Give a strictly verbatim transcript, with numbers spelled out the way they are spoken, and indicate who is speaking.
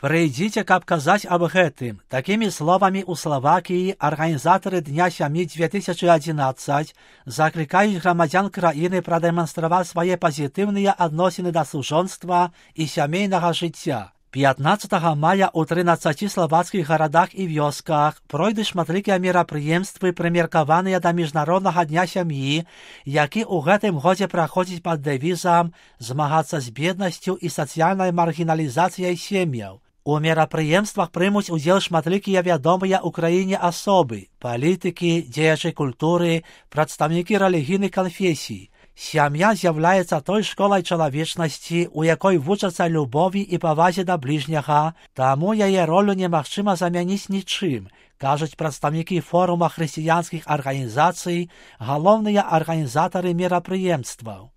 Speaker 1: Прыйдзіце, каб казаць аб гэтым. Такімі словамі ў Славакіі арганізатары Дня сям'і две тысячы адзінаццаць заклікаюць грамадзян краіны прадэманстраваць свае пазітыўныя адносіны да суджонства і сямейнага жыцця. пятнадцатага мая ў трынаццаці славацкіх гарадах і вёсках пройдуць шматлікія мерапрыемствы, прымеркаваныя да міжнароднага дня сям'і, які ў гэтым годзе праходзіць пад дэвізам «Змагацца з беднасцю і сацыяльнай маргіналізацыяй сем'яў». У мерапрыемствах прымуць удзел шматлікія вядомыя ў краіне асобы, палітыкі, дзеячы культуры, прадстаўнікі рэлігійных канфесій. Сям'я з'яўляецца той школай чалавечнасці, у якой вучацца любові і павазе да бліжняга, таму яе ролю немагчыма замяніць нічым, кажуць прадстаўнікі форума хрысціянскіх арганізацый, галоўныя арганізатары мерапрыемстваў.